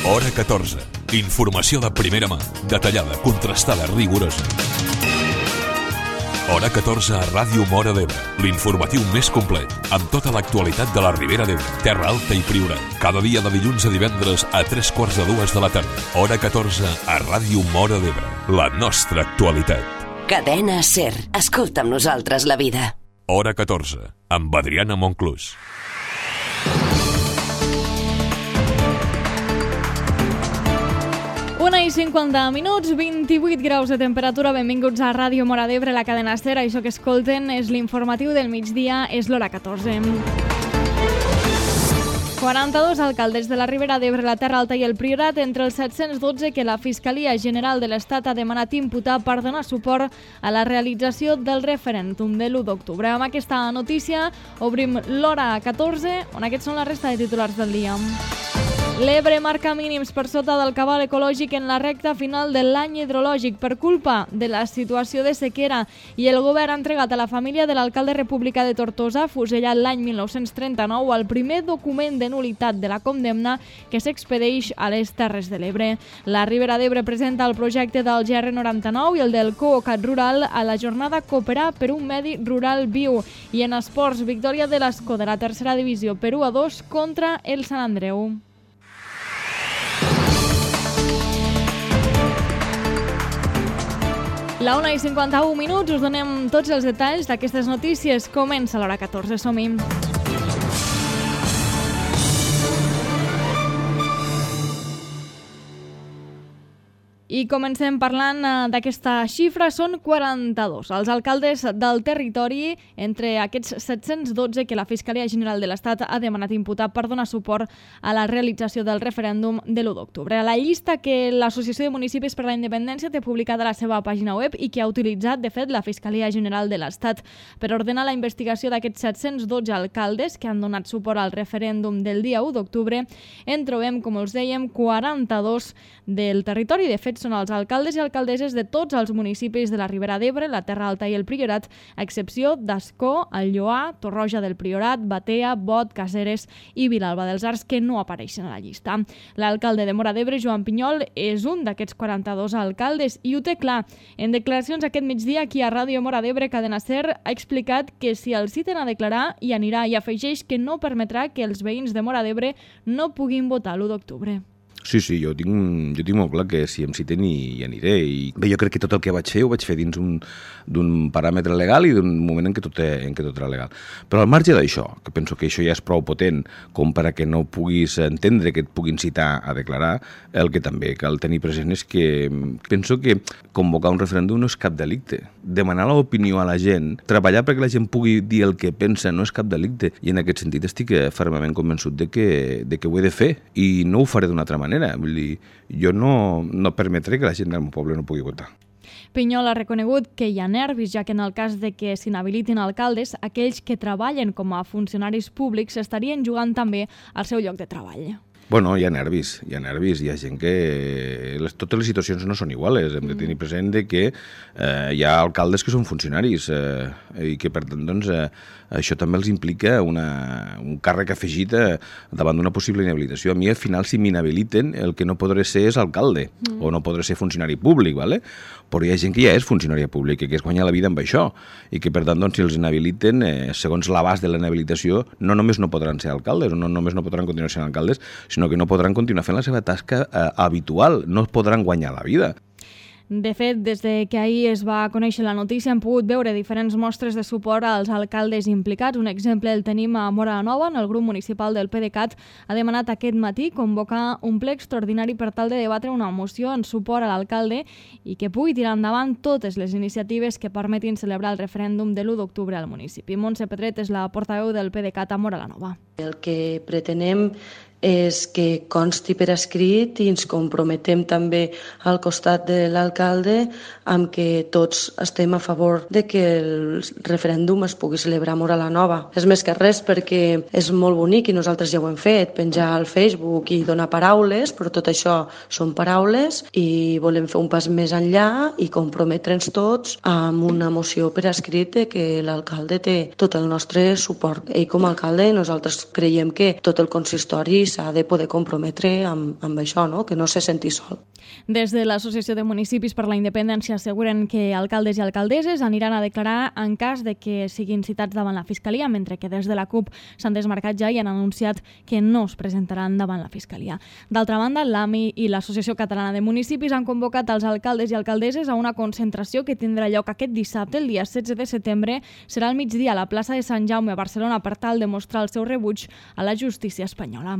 Hora 14. Informació de primera mà, detallada, contrastada, rigorosa. Hora 14 a Ràdio Móra d'Ebre, l'informatiu més complet, amb tota l'actualitat de la Ribera d'Ebre, Terra Alta i Priorat. Cada dia de dilluns a divendres a 3:45 de la tarda. Hora 14 a Ràdio Móra d'Ebre, la nostra actualitat. Cadena SER. Escolta amb nosaltres la vida. Hora 14, amb Adriana Monclús. Una i 50 minuts, 28 graus de temperatura. Benvinguts a Ràdio Móra d'Ebre, la cadena SER. Això que escolten és l'informatiu del migdia, és l'hora 14. 42 alcaldes de la Ribera d'Ebre, la Terra Alta i el Priorat, entre els 712 que la Fiscalia General de l'Estat ha demanat imputar per donar suport a la realització del referèndum de l'1 d'octubre. Amb aquesta notícia obrim l'hora 14, on aquests són la resta de titulars del dia. L'Ebre marca mínims per sota del cabal ecològic en la recta final de l'any hidrològic per culpa de la situació de sequera, i el govern ha entregat a la família de l'alcalde republicà de Tortosa, fusellat l'any 1939, el primer document de nul·litat de la condemna que s'expedeix a les Terres de l'Ebre. La Ribera d'Ebre presenta el projecte del GR99 i el del Cocat Rural a la jornada Cooperar per un medi rural viu. I en esports, victòria de l'Escó de la tercera divisió per 1-2 contra el Sant Andreu. La 1 i 51 minuts, us donem tots els detalls d'aquestes notícies. Comença l'hora 14, som-hi. I comencem parlant d'aquesta xifra, són 42 els alcaldes del territori, entre aquests 712 que la Fiscalia General de l'Estat ha demanat imputar per donar suport a la realització del referèndum de l'1 d'octubre. La llista que l'Associació de Municipis per la Independència té publicada a la seva pàgina web i que ha utilitzat, de fet, la Fiscalia General de l'Estat per ordenar la investigació d'aquests 712 alcaldes que han donat suport al referèndum del dia 1 d'octubre, en trobem, com us dèiem, 42 del territori. De fet, són els alcaldes i alcaldesses de tots els municipis de la Ribera d'Ebre, la Terra Alta i el Priorat, a excepció d'Ascó, el Lloar, Torroja del Priorat, Batea, Bot, Caseres i Vilalba dels Arcs, que no apareixen a la llista. L'alcalde de Móra d'Ebre, Joan Pinyol, és un d'aquests 42 alcaldes i ho té clar. En declaracions aquest migdia aquí a Ràdio Móra d'Ebre, Cadena SER ha explicat que si el citen a declarar hi anirà, i afegeix que no permetrà que els veïns de Móra d'Ebre no puguin votar l'1 d'octubre. Sí, jo tinc molt clar que si em citen hi aniré. I bé, jo crec que tot el que vaig fer ho vaig fer dins d'un paràmetre legal i d'un moment en què tot era legal. Però al marge d'això, que penso que això ja és prou potent com per a que no puguis entendre que et puguin citar a declarar, el que també cal tenir present és que penso que convocar un referèndum no és cap delicte. Demanar l'opinió a la gent, treballar perquè la gent pugui dir el que pensa, no és cap delicte. I en aquest sentit estic fermament convençut de que ho he de fer i no ho faré d'una altra manera. Vull dir, jo no permetré que la gent del meu poble no pugui votar. Pinyol ha reconegut que hi ha nervis, ja que en el cas de que s'inhabilitin alcaldes, aquells que treballen com a funcionaris públics estarien jugant també al seu lloc de treball. Bueno, hi ha nervis, hi ha gent que... Totes les situacions no són iguales, hem de tenir present que hi ha alcaldes que són funcionaris i que per tant doncs, això també els implica un càrrec afegit davant d'una possible inhabilitació. A mi al final si m'inhabiliten el que no podré ser és alcalde o no podré ser funcionari públic, ¿vale? Però hi ha gent que ja és funcionària pública, que es guanya la vida amb això i que per tant doncs, si els inhabiliten, segons l'abast de la inhabilitació, no només no podran ser alcaldes o no només no podran continuar sent alcaldes, sinó que no podran continuar fent la seva tasca habitual, no podran guanyar la vida. De fet, des que ahir es va conèixer la notícia, hem pogut veure diferents mostres de suport als alcaldes implicats. Un exemple el tenim a Móra la Nova, on el grup municipal del PDeCAT ha demanat aquest matí convocar un ple extraordinari per tal de debatre una moció en suport a l'alcalde i que pugui tirar endavant totes les iniciatives que permetin celebrar el referèndum de l'1 d'octubre al municipi. Montse Pedret és la portaveu del PDeCAT a Móra la Nova. El que pretenem és que consti per escrit i ens comprometem també al costat de l'alcalde amb que tots estem a favor de que el referèndum es pugui celebrar a Móra la Nova. És més que res perquè és molt bonic i nosaltres ja ho hem fet, penjar al Facebook i donar paraules, però tot això són paraules i volem fer un pas més enllà i comprometre'ns tots amb una moció per escrit que l'alcalde té tot el nostre suport. Ell com a alcalde, nosaltres creiem que tot el consistori s'ha de poder comprometre amb això, no? Que no se senti sol. Des de l'Associació de Municipis per la Independència asseguren que alcaldes i alcaldesses aniran a declarar en cas de que siguin citats davant la Fiscalia, mentre que des de la CUP s'han desmarcat ja i han anunciat que no es presentaran davant la Fiscalia. D'altra banda, l'AMI i l'Associació Catalana de Municipis han convocat els alcaldes i alcaldesses a una concentració que tindrà lloc aquest dissabte, el dia 16 de setembre. Serà al migdia a la plaça de Sant Jaume a Barcelona per tal de mostrar el seu rebuig a la justícia espanyola.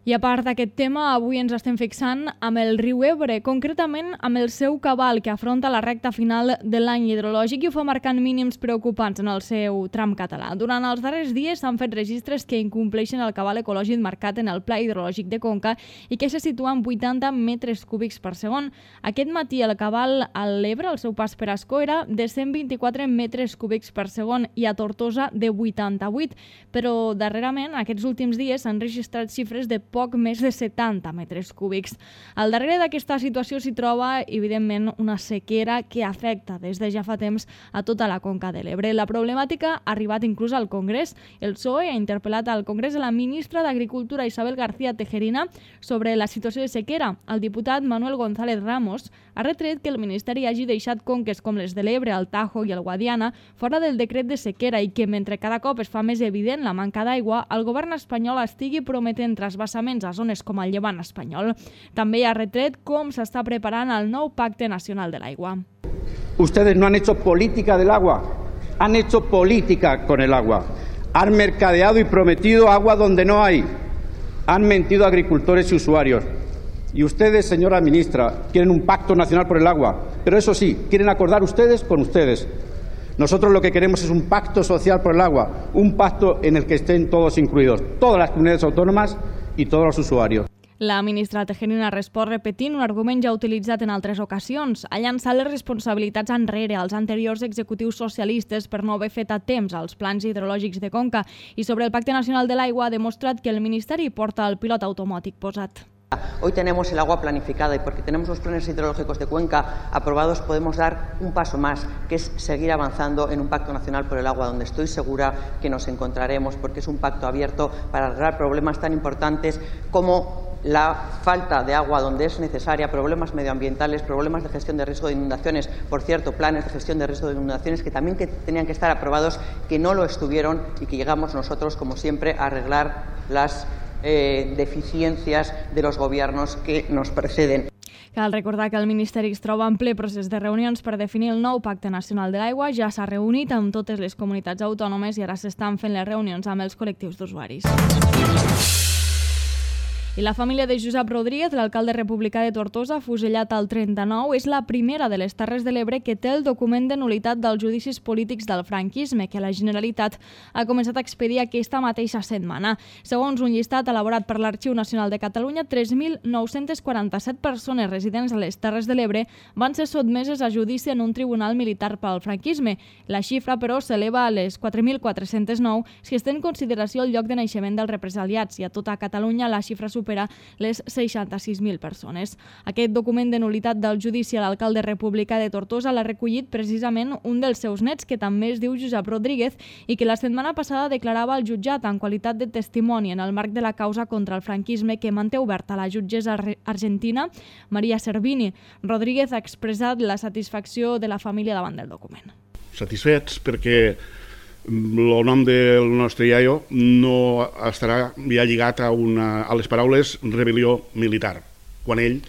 I a part d'aquest tema, avui ens estem fixant amb el riu Ebre, concretament amb el seu cabal, que afronta la recta final de l'any hidrològic i ho fa marcant mínims preocupants en el seu tram català. Durant els darrers dies s'han fet registres que incompleixen el cabal ecològic marcat en el Pla Hidrològic de Conca i que se situa en 80 metres cúbics per segon. Aquest matí el cabal a l'Ebre, al seu pas per Ascó, era de 124 metres cúbics per segon i a Tortosa de 88, però darrerament, aquests últims dies, s'han registrat xifres de poc més de 70 metres cúbics. Al darrere d'aquesta situació s'hi troba, evidentment, una sequera que afecta des de ja fa temps a tota la conca de l'Ebre. La problemàtica ha arribat inclús al Congrés. El PSOE ha interpel·lat al Congrés a la ministra d'Agricultura, Isabel García Tejerina, sobre la situació de sequera. El diputat Manuel González Ramos ha retret que el Ministeri hagi deixat conques com les de l'Ebre, el Tajo i el Guadiana fora del decret de sequera i que, mentre cada cop es fa més evident la manca d'aigua, el govern espanyol estigui prometent trasbassaments a zones com el Llevant espanyol. També ha retret com s'està preparant el nou Pacte Nacional de l'Aigua. Ustedes no han hecho política del agua, han hecho política con el agua. Han mercadeado y prometido agua donde no hay. Han mentido a agricultores y usuarios. Y ustedes, señora ministra, quieren un pacto nacional por el agua, pero eso sí, quieren acordar ustedes con ustedes. Nosotros lo que queremos es un pacto social por el agua, un pacto en el que estén todos incluidos, todas las comunidades autónomas i tots els usuaris. La ministra Tejerina respon repetint un argument ja utilitzat en altres ocasions. Ha llançat les responsabilitats enrere als anteriors executius socialistes per no haver fet a temps els plans hidrològics de Conca i sobre el Pacte Nacional de l'Aigua ha demostrat que el Ministeri porta el pilot automàtic posat. Hoy tenemos el agua planificada y porque tenemos los planes hidrológicos de Cuenca aprobados podemos dar un paso más, que es seguir avanzando en un pacto nacional por el agua, donde estoy segura que nos encontraremos, porque es un pacto abierto para arreglar problemas tan importantes como la falta de agua donde es necesaria, problemas medioambientales, problemas de gestión de riesgo de inundaciones, por cierto, planes de gestión de riesgo de inundaciones que también tenían que estar aprobados, que no lo estuvieron y que llegamos nosotros, como siempre, a arreglar las deficiencias de los gobiernos que nos preceden. Cal recordar que el Ministeri es troba en ple procés de reunions per definir el nou Pacte Nacional de l'Aigua. Ja s'ha reunit amb totes les comunitats autònomes i ara s'estan fent les reunions amb els col·lectius d'usuaris. I la família de Josep Rodríguez, l'alcalde republicà de Tortosa, fusellat al 39, és la primera de les Terres de l'Ebre que té el document de nul·litat dels judicis polítics del franquisme, que la Generalitat ha començat a expedir aquesta mateixa setmana. Segons un llistat elaborat per l'Arxiu Nacional de Catalunya, 3.947 persones residents a les Terres de l'Ebre van ser sotmeses a judici en un tribunal militar pel franquisme. La xifra, però, s'eleva a les 4.409 si es té en consideració el lloc de naixement dels represaliats i a tota Catalunya la xifra supera les 66.000 persones. Aquest document de nul·litat del judici a l'alcalde republicà de Tortosa l'ha recollit precisament un dels seus nets, que també es diu Josep Rodríguez i que la setmana passada declarava al jutjat en qualitat de testimoni en el marc de la causa contra el franquisme que manté oberta la jutgessa argentina Maria Servini. Rodríguez ha expressat la satisfacció de la família davant del document. Satisfets perquè el nom del nostre iaio no estarà ja lligat a les paraules rebel·lió militar, quan ell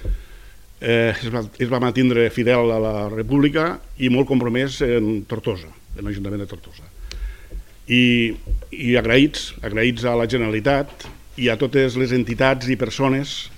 es va mantindre fidel a la República i molt compromès en Tortosa, en l'Ajuntament de Tortosa. I agraïts a la Generalitat i a totes les entitats i persones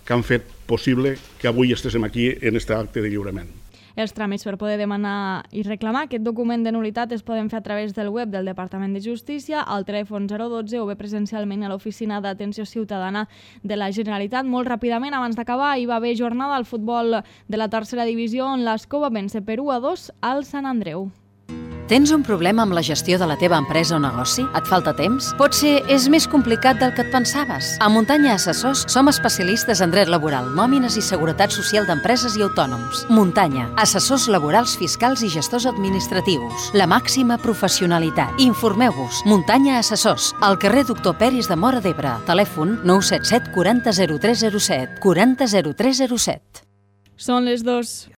que han fet possible que avui estiguem aquí en aquest acte de lliurament. Els tràmits per poder demanar i reclamar aquest document de nul·litat es poden fer a través del web del Departament de Justícia, al telèfon 012 o bé presencialment a l'Oficina d'Atenció Ciutadana de la Generalitat. Molt ràpidament, abans d'acabar, hi va haver jornada al futbol de la tercera divisió on l'Escó va vèncer per 1-2 al Sant Andreu. Tens un problema amb la gestió de la teva empresa o negoci? Et falta temps? Potser és més complicat del que et pensaves. A Muntanya Assessors som especialistes en dret laboral, nòmines i seguretat social d'empreses i autònoms. Muntanya, assessors laborals, fiscals i gestors administratius. La màxima professionalitat. Informeu-vos. Muntanya Assessors, al carrer Doctor Peris de Móra d'Ebre. Telèfon 977 40 0307. 40 0307. Són les 2.